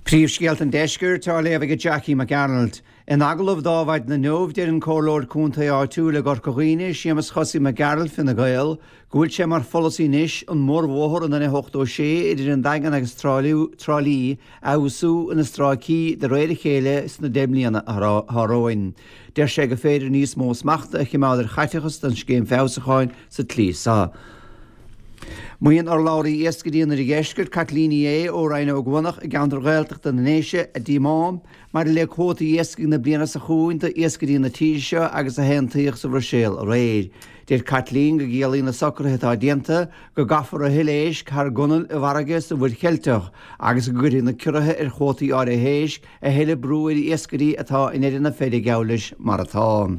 Príomhscéalta an Deiscirt á léamh ag Jackie Mac Gearailt. In agallamh d'Adhmhaidin inniu, deir an Comhairleoir Contae áitiúil i gCorca Dhuibhne, Séamus Chosaí Mac Gearailt, Fine Gael, go bhfuil sé mar pholasaí anois an mórbhóthar an N86 idir an Daingean agus Trá Lí a fheabhsú ina stráicí de réir a chéile sna 10 mbliana atá romhainn. Deir sé gur féidir níos mó smachta a chimeád ar chaiteachas don scéim feabhsúcháin sa tslí seo. Maíonn urlabhraí iascairí an Oirdheiscirt, Caitlín Ní Aodha ó Rinn Ó gCuanach i gceantar Ghaeltachta na nDéise, a díomá maidir le cuótaí iascaigh na bliana seo chugainn d'iascairí na tíre seo agus a haontaíodh sa Bhruiséil aréir. Deir Caitlín go gciallaíonn na socruithe atá déanta go gcaithfear a thuilleadh éisc thar an gconail i bhfarraige sa Mhuir Cheilteach agus go gcuirfidh na ciorruithe ar chuótaí áirithe éisc a thuilleadh brú ar iascairí atá i ndeireadh na feide geall leis mar atá.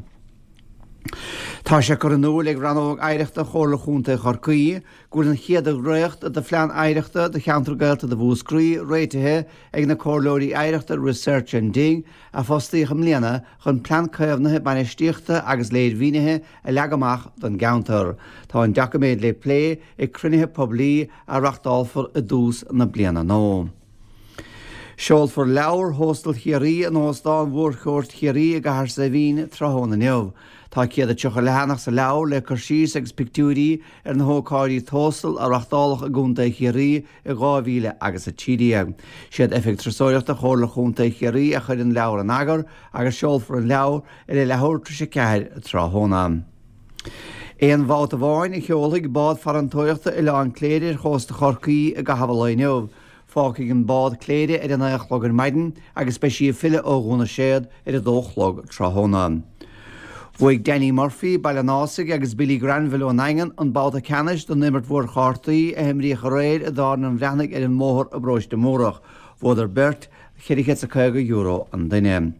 Tá sé curtha in iúl ag Rannóg Oidhreachta Chomhairle Chontae Chorcaí go bhfuil an chéad dhréacht de Phlean Oidhreachta do Cheantar Gaeltachta Mhúscraí réitithe ag na Comhairleoirí Oidhreachta Research and Dig a fostaíodh i mbliana chun plean caomhnaithe, bainistíochta agus léirmhínithe a leagadh amach don gceantar. Tá an doiciméad le plé ag cruinnithe poiblí a reachtálfar i dtús na bliana nua. Seolfar leabhar Thóstal Chiarraí in Óstán Mhórchuairt Chiarraí i gCathair Saidhbhín tráthnóna inniu. Tá 130 leathanach sa leabhar le cur síos agus pictiúirí ar na hócáidí Tóstail a reachtáladh i gContae Chiarraí i 2000 agus 13. Siad Oifig Turasóireachta Chomhairle Chontae Chiarraí a chuir an leabhar in eagar agus seolfar an leabhar ar a leathuair tar éis a ceathair tráthnóna. Aon bhabhta amháin a sheolfaidh bád farantóireachta Oileán Cléire ar chósta Chorcaí i gcaitheamh an lae inniu. Fágfaidh an bád Cléire ar a naoi a chlog ar maidin agus beidh sí ag filleadh ó Dhún na Séad ar a dó a chlog tráthnóna. Bhuaigh Danny Murphy, Baile an Ásaigh, agus Billy Granville ón nDaingean an babhta ceannais don imirt mhór chártaí a himríodh aréir i dTábhairne an Bhreathnaigh ar an mBóthar i bParóiste Múrach. Bhuadar beirt €450 an duine.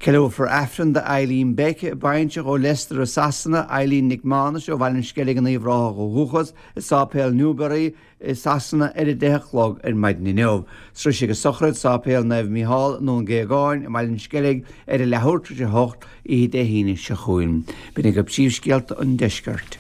Ceiliúrfar Aifreann do Eileen Beck, baintreach ó Leicester i Sasana, Eileen Nic Mánais ó Bhaile an Sceilg in Uíbh Ráthach ó dhúchas, i Sáipéal Newbury, i Sasana ar a 10 a chlog ar maidin inniu. Sroisfidh a sochraid Sáipéal Naomh Mícheál i nDún Géagáin i mBaile an Sceilg ar a leathuair tar éis a hocht oíche Dé hAoine seo chugainn. B'in agaibh príomhscéalta an deiscirt.